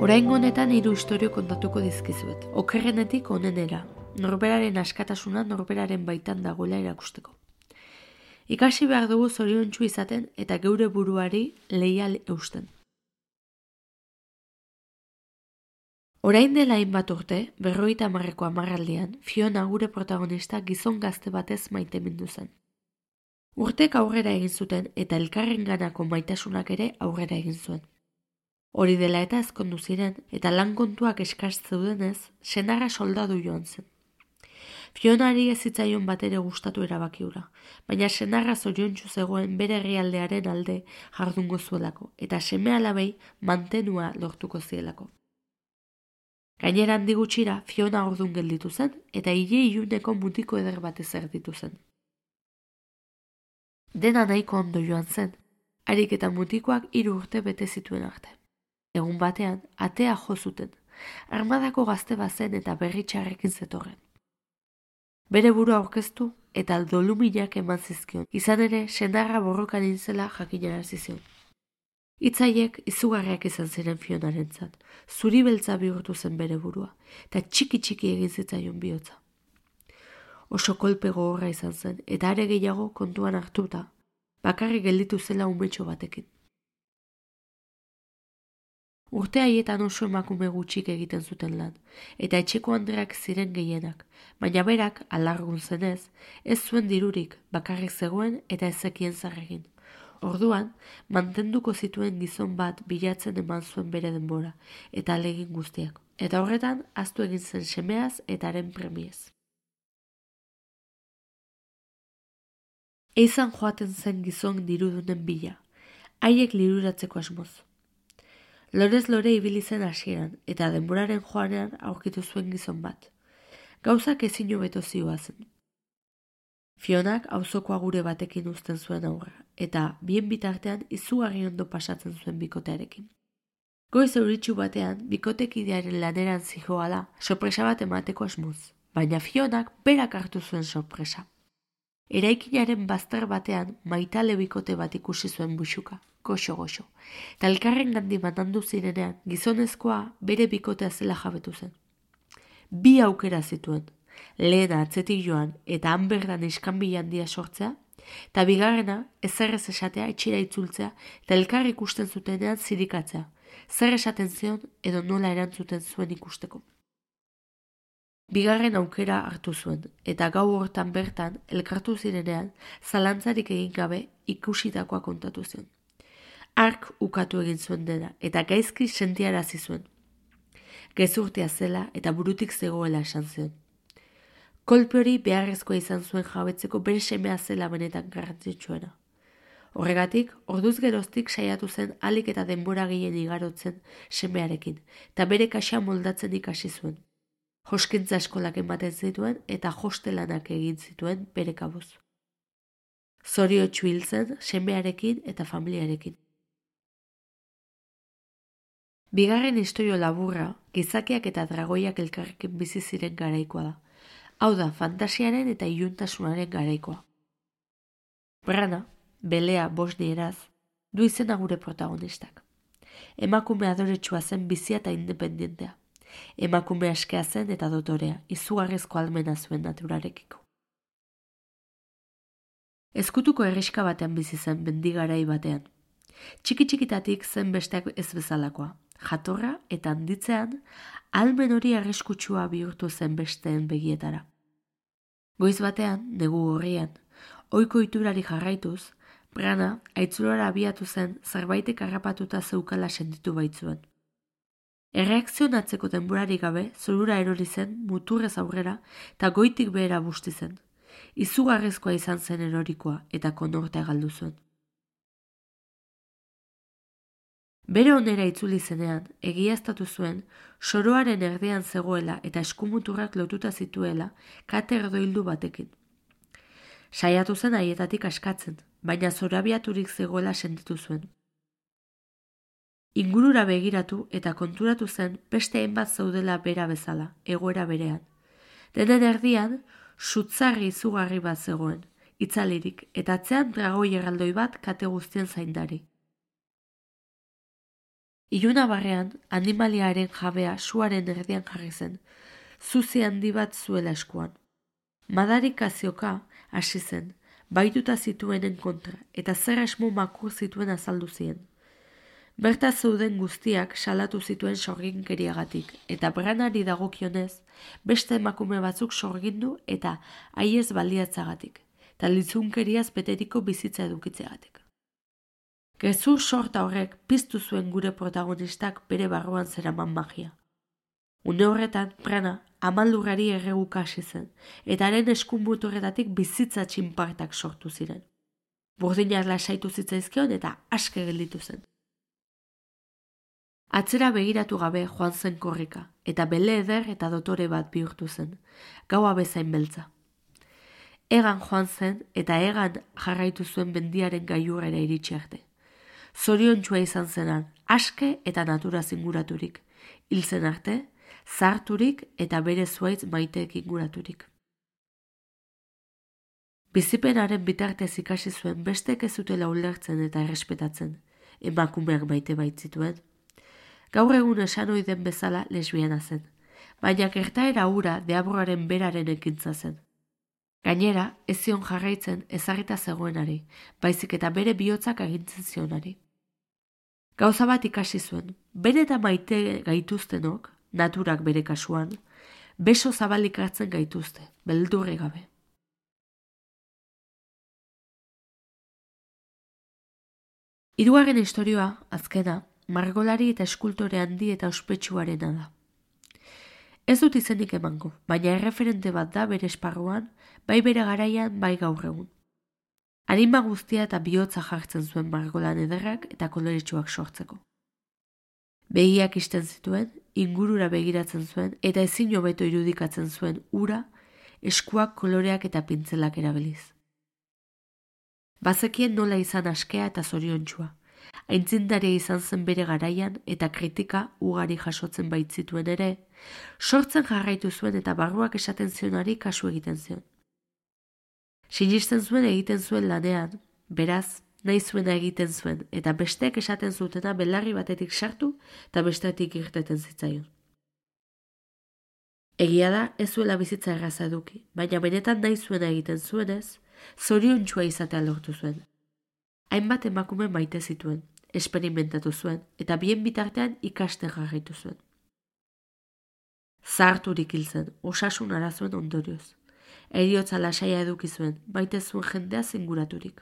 Oraingo honetan 3 istorio kontatuko dizkizuet. Okerrenetik onenera, norberaren askatasuna norberaren baitan dagoela erakusteko. Ikasi behar dugu zoriontsu izaten eta geure buruari leial eusten. Orain dela hainbat urte, 50ko hamarraldian, Fiona gure protagonista gizon gazte batez maitemindu zen. Urtek aurrera egin zuten eta elkarrenganako maitasunak ere aurrera egin zuen. Hori dela eta ezkondu ziren eta lan kontuak eskaz zeudenez, senarra soldadu joan zen. Fionari ez zitzaion batere gustatu erabaki hura, baina senarra zoriontsu zegoen bere herrialdearen alde jardungo zuelako eta seme-alabei mantenua lortuko zielako. Gainera handi gutxira Fiona ordun gelditu zen eta iluneko mutiko eder batez erditu zen. Dena nahiko ondo joan zen, harik eta mutikoak 3 urte bete zituen arte. Egun batean, atea jo zuten, armadako gazte bazen eta berritxarrekin zetorren. Bere burua aurkeztu eta doluminak eman zizkion, izan ere senarra borrokan inzela jakinarazi zion. Hitzaiek izugarriak izan ziren Fionarentzat, zuri beltza bihurtu zen bere burua, eta txiki egin zitzaion bihotza. Oso kolpe gogorra izan zen, eta are gehiago kontuan hartuta, bakarrik gelditu zela umetxo batekin. Urte haietan oso emakume gutxik egiten zuten lan, eta etxeko andreak ziren gehienak, baina berak, alargun zenez, ez zuen dirurik, bakarrik zegoen eta ezekien zarregin. Orduan, mantenduko zituen gizon bat bilatzen eman zuen bere denbora, eta alegin guztiak. Eta horretan, ahaztu egin zen semeaz eta haren premiez. Eizan joaten zen gizon dirudunen bila, haiek liruratzeko asmoz. Lorez lore ibili zen hasieran, eta denboraren joanean aurkitu zuen gizon bat. Gauzak ezin hobeto zihoazen. Fionak auzoko agure batekin uzten zuen aurra, eta bien bitartean izugarri ondo pasatzen zuen bikotearekin. Goiz euritsu batean, bikotekidearen laneran zihoala, sorpresa bat emateko asmoz, baina Fionak berak hartu zuen sorpresa. Eraikinaren bazter batean maitale bikote bat ikusi zuen buxuka, goxo, eta elkarren gandi mandandu zirenean gizonezkoa bere bikotea zela jabetu zen. 2 aukera zituen, lehena atzetik joan eta han berdan iskanbila handia sortzea, eta bigarrena ezerrez esatea etxira itzultzea eta elkar ikusten zutenean zirikatzea, zer esaten zion edo nola erantzuten zuen ikusteko. Bigarren aukera hartu zuen, eta gau hortan bertan elkartu zirenean zalantzarik egin gabe ikusitakoa kontatu zion. Hark ukatu egin zuen dena, eta gaizki sentiarazi zuen. Gezurtea zela eta burutik zegoela esan zion. Kolpe hori beharrezkoa izan zuen jabetzeko bere semea zela benetan garrantzitsuena. Horregatik, orduz geroztik saiatu zen ahalik eta denbora gehien igarotzen semearekin, eta bere kaxa moldatzen ikasi zuen. Joskintza eskolak ematen zituen eta hostelanak egin zituen bere kabuz. Zoriotsu hil zen semearekin eta familiarekin. Bigarren istorio laburra, gizakiak eta dragoiak elkarrekin bizi ziren garaikoa da. Hau da, fantasiaren eta iluntasunaren garaikoa. Brana, belea bosnieraz, du izena gure protagonistak. Emakume adoretsua zen bizia eta independentea. Emakume askea zen eta dotorea, izugarrizko almena zuen naturarekiko. Ezkutuko herriska batean bizi zen mendigarai batean. Txiki-txikitatik zen besteak ez bezalakoa. Jatorra eta handitzean, almen hori arriskutsua bihurtu zen besteen begietara. Goiz batean, negu gorrian, ohiko iturari jarraituz, Brana aitzulora abiatu zen zerbaitek harrapatuta zeukala sentitu baitzuen. Erreakzionatzeko denborari gabe, zorura erori zen, muturrez aurrera, eta goitik behera busti zen. Izugarrizkoa izan zen erorikoa, eta konortea galdu zuen. Bere onera itzuli zenean, egiaztatu zuen, soroaren erdean zegoela eta eskumuturrak lotuta zituela kate erdoildu batekin. Saiatu zen haietatik askatzen, baina zorabiaturik zegoela sentitu zuen. Ingurura begiratu eta konturatu zen beste hainbat zaudela bera bezala, egoera berean. Denen erdian, sutzarri izugarri bat zegoen, itzalirik, eta atzean dragoi erraldoi bat kate guztien zaindari. Iluna barrean, animaliaren jabea suaren erdian jarri zen, zuzi handi bat zuela eskuan. Madarikazioka hasi zen, baituta zituenen kontra, eta zer asmo makur zituen azaldu zien. Berta zeuden guztiak salatu zituen sorginkeriagatik, eta Branari dagokionez, beste emakume batzuk sorgindu eta haiez baliatzagatik, eta lizunkeriaz beteriko bizitza edukitzeagatik. Gezur sorta horrek piztu zuen gure protagonistak bere barruan zeraman magia. Une horretan, Brana amaldurrari erreguka hasi zen, eta haren eskunbuturretatik bizitza txinpartak sortu ziren. Burdina lasaitu zitzaizkion eta aske gelditu zen. Atzera begiratu gabe joan zen korrika, eta bele eder eta dotore bat bihurtu zen, gaua bezain beltza. Egan joan zen eta egan jarraitu zuen mendiaren gailurrera iritsi arte. Zoriontsua izan zenan, aske eta naturaz inguraturik, hil zen arte, zarturik eta bere zuaitz maiteek inguraturik. Bizipenaren bitartez ikasi zuen bestek ez zutela ulertzen eta errespetatzen, emakumeak maite baitzituen. Gaur egun esan ohi den bezala lesbiana zen, baina gertaera hura deabroaren beraren ekintza zen. Gainera, ez zion jarraitzen ezarrita zegoenari, baizik eta bere bihotzak agintzen zionari. Gauza bat ikasi zuen, bere eta maite gaituztenok, naturak bere kasuan, beso zabalik hartzen gaituzte, beldurri gabe. Hirugarren istorioa, azkena, margolari eta eskultore handi eta ospetsuarena da. Ez dut izenik emango, baina erreferente bat da bere esparruan, bai bere garaian, bai gaur egun. Anima guztia eta bihotza jartzen zuen margolan ederrak eta koloretsuak sortzeko. Begiak isten zituen, ingurura begiratzen zuen eta ezin hobeto irudikatzen zuen ura, eskuak, koloreak eta pintzelak erabiliz. Bazekien nola izan askea eta zoriontsua. Aintzindaria izan zen bere garaian eta kritika ugari jasotzen baitzituen ere, sortzen jarraitu zuen eta barruak esaten zionari kasu egiten zion. Sinisten zuen egiten zuen lanean, beraz, nahi zuena egiten zuen eta besteek esaten zutena belarri batetik sartu eta bestetik irteten zitzaion. Egia da ez zuela bizitza erraza eduki, baina benetan nahi zuena egiten zuenez, zoriontsua izatea lortu zuen. Hainbat emakume maite zituen, esperimentatu zuen eta bien bitartean ikasten jarraitu zuen. Zaharturik hil zen, osasun arazoen ondorioz. Heriotza lasaia eduki zuen, maite zuen jendea zinguraturik.